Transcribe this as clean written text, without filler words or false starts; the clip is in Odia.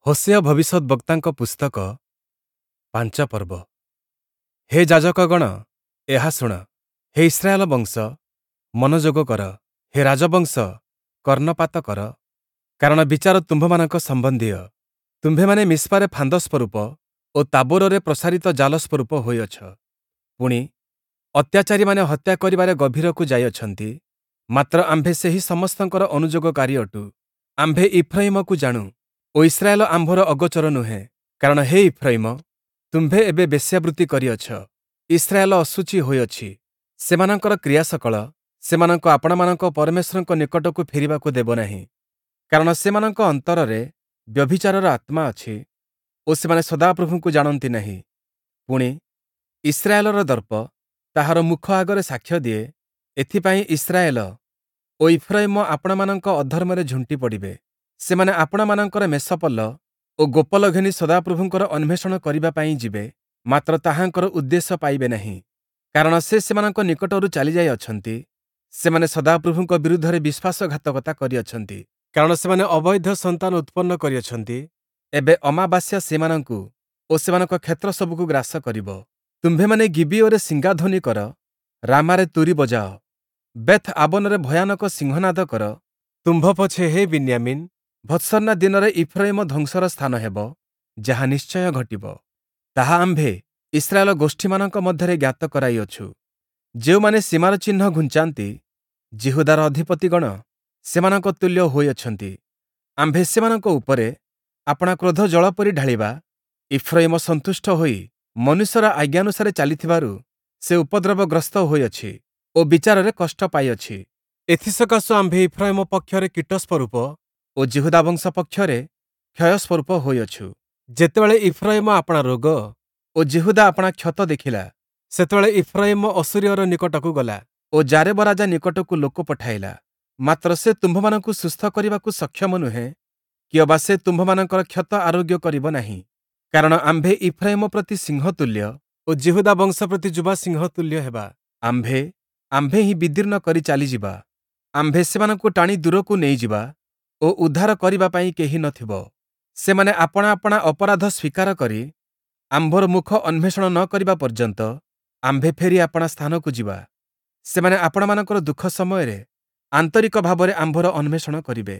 ହୋଶେୟ ଭବିଷ୍ୟଦ୍‌ବକ୍ତାଙ୍କ ପୁସ୍ତକ, 5 ପର୍ବ। ହେ ଯାଜକଗଣ, ଏହା ଶୁଣ; ହେ ଇସ୍ରାଏଲ ବଂଶ, ମନୋଯୋଗ କର; ହେ ରାଜବଂଶ, କର୍ଣ୍ଣପାତ କର; କାରଣ ବିଚାର ତୁମ୍ଭମାନଙ୍କ ସମ୍ବନ୍ଧୀୟ। ତୁମ୍ଭେମାନେ ମିସ୍ପାରେ ଫାନ୍ଦ ସ୍ୱରୂପ ଓ ତାବୋରରେ ପ୍ରସାରିତ ଜାଲ ସ୍ୱରୂପ ହୋଇଅଛ। ପୁଣି, ଅତ୍ୟାଚାରୀମାନେ ହତ୍ୟା କରିବାରେ ଗଭୀରକୁ ଯାଇଅଛନ୍ତି, ମାତ୍ର ଆମ୍ଭେ ସେହି ସମସ୍ତଙ୍କର ଅନୁଯୋଗକାରୀ ଅଟୁ। ଆମ୍ଭେ ଇଫ୍ରୟିମକୁ ଜାଣୁ ଓ ଇସ୍ରାଏଲ ଆମ୍ଭର ଅଗୋଚର ନୁହେଁ। କାରଣ ହେ ଇଫ୍ରୟିମ, ତୁମ୍ଭେ ଏବେ ବେଶ୍ୟାବୃତ୍ତି କରିଅଛ, ଇସ୍ରାଏଲ ଅଶୁଚି ହୋଇଅଛି। ସେମାନଙ୍କର କ୍ରିୟାସକଳ ସେମାନଙ୍କୁ ଆପଣାମାନଙ୍କ ପରମେଶ୍ୱରଙ୍କ ନିକଟକୁ ଫେରିବାକୁ ଦେବ ନାହିଁ। କାରଣ ସେମାନଙ୍କ ଅନ୍ତରରେ ବ୍ୟଭିଚାରର ଆତ୍ମା ଅଛି ଓ ସେମାନେ ସଦାପ୍ରଭୁଙ୍କୁ ଜାଣନ୍ତି ନାହିଁ। ପୁଣି, ଇସ୍ରାଏଲର ଦର୍ପ ତାହାର ମୁଖ ଆଗରେ ସାକ୍ଷ୍ୟ ଦିଏ, ଏଥିପାଇଁ ଇସ୍ରାଏଲ ଓ ଇଫ୍ରୟିମ ଆପଣାମାନଙ୍କ ଅଧର୍ମରେ ଝୁଣ୍ଟି ପଡ଼ିବେ। ସେମାନେ ଆପଣାମାନଙ୍କର ମେଷପଲ ଓ ଗୋପଲ ଘେନି ସଦାପ୍ରଭୁଙ୍କର ଅନ୍ୱେଷଣ କରିବା ପାଇଁ ଯିବେ, ମାତ୍ର ତାହାଙ୍କର ଉଦ୍ଦେଶ୍ୟ ପାଇବେ ନାହିଁ। କାରଣ ସେ ସେମାନଙ୍କ ନିକଟରୁ ଚାଲିଯାଇଅଛନ୍ତି, ସେମାନେ ସଦାପ୍ରଭୁଙ୍କ ବିରୁଦ୍ଧରେ ବିଶ୍ୱାସଘାତକତା କରିଅଛନ୍ତି। କାରଣ ସେମାନେ ଅବୈଧ ସନ୍ତାନ ଉତ୍ପନ୍ନ କରିଅଛନ୍ତି, ଏବେ ଅମାବାସ୍ୟା ସେମାନଙ୍କୁ ଓ ସେମାନଙ୍କ କ୍ଷେତ୍ର ସବୁକୁ ଗ୍ରାସ କରିବ। ତୁମ୍ଭେମାନେ ଗିବିୟୋରେ ଶିଙ୍ଗାଧ୍ୱନି କର, ରାମାରେ ତୂରୀ ବଜାଅ, ବେଥ୍ ଆବନରେ ଭୟାନକ ସିଂହନାଦ କର। ତୁମ୍ଭ ପଛେ ହେ ବିନ୍ୟାମୀନ୍, ଭର୍ତ୍ସନା ଦିନରେ ଇଫ୍ରୟିମ ଧ୍ୱଂସର ସ୍ଥାନ ହେବ, ଯାହା ନିଶ୍ଚୟ ଘଟିବ, ତାହା ଆମ୍ଭେ ଇସ୍ରାଏଲ ଗୋଷ୍ଠୀମାନଙ୍କ ମଧ୍ୟରେ ଜ୍ଞାତ କରାଇଅଛୁ। ଯେଉଁମାନେ ସୀମାର ଚିହ୍ନ ଘୁଞ୍ଚାନ୍ତି, ଯିହୁଦାର ଅଧିପତିଗଣ ସେମାନଙ୍କ ତୁଲ୍ୟ ହୋଇଅଛନ୍ତି। ଆମ୍ଭେ ସେମାନଙ୍କ ଉପରେ ଆପଣା କ୍ରୋଧ ଜଳ ପରି ଢାଳିବା। ଇଫ୍ରୟିମ ସନ୍ତୁଷ୍ଟ ହୋଇ ମନୁଷ୍ୟର ଆଜ୍ଞାନୁସାରେ ଚାଲିଥିବାରୁ ସେ ଉପଦ୍ରବଗ୍ରସ୍ତ ହୋଇଅଛି ଓ ବିଚାରରେ କଷ୍ଟ ପାଇଅଛି। ଏଥିସକାଶୁ ଆମ୍ଭେ ଇଫ୍ରୟିମ ପକ୍ଷରେ କୀଟ ସ୍ୱରୂପ ଓ ଯିହୁଦା ବଂଶ ପକ୍ଷରେ କ୍ଷୟ ସ୍ୱରୂପ ହୋଇଅଛୁ। ଯେତେବେଳେ ଇଫ୍ରୟିମ ଆପଣା ରୋଗ ଓ ଯିହୁଦା ଆପଣା କ୍ଷତ ଦେଖିଲା, ସେତେବେଳେ ଇଫ୍ରୟିମ ଅଶୂରୀୟର ନିକଟକୁ ଗଲା ଓ ଯାରେବ ରାଜା ନିକଟକୁ ଲୋକ ପଠାଇଲା। ମାତ୍ର ସେ ତୁମ୍ଭମାନଙ୍କୁ ସୁସ୍ଥ କରିବାକୁ ସକ୍ଷମ ନୁହେଁ, କିଅବା ସେ ତୁମ୍ଭମାନଙ୍କର କ୍ଷତ ଆରୋଗ୍ୟ କରିବ ନାହିଁ। କାରଣ ଆମ୍ଭେ ଇଫ୍ରୟିମ ପ୍ରତି ସିଂହ ତୁଲ୍ୟ ଓ ଯିହୁଦା ବଂଶ ପ୍ରତି ଯୁବା ସିଂହ ତୁଲ୍ୟ ହେବା। ଆମ୍ଭେ ହିଁ ବିଦୀର୍ଣ୍ଣ କରି ଚାଲିଯିବା। ଆମ୍ଭେ ସେମାନଙ୍କୁ ଟାଣି ଦୂରକୁ ନେଇଯିବା ଓ ଉଦ୍ଧାର କରିବା ପାଇଁ କେହି ନ ଥିବ। ସେମାନେ ଆପଣା ଆପଣା ଅପରାଧ ସ୍ୱୀକାର କରି ଆମ୍ଭର ମୁଖ ଅନ୍ୱେଷଣ ନ କରିବା ପର୍ଯ୍ୟନ୍ତ ଆମ୍ଭେ ଫେରି ଆପଣା ସ୍ଥାନକୁ ଯିବା। ସେମାନେ ଆପଣାମାନଙ୍କର ଦୁଃଖ ସମୟରେ ଆନ୍ତରିକ ଭାବରେ ଆମ୍ଭର ଅନ୍ୱେଷଣ କରିବେ।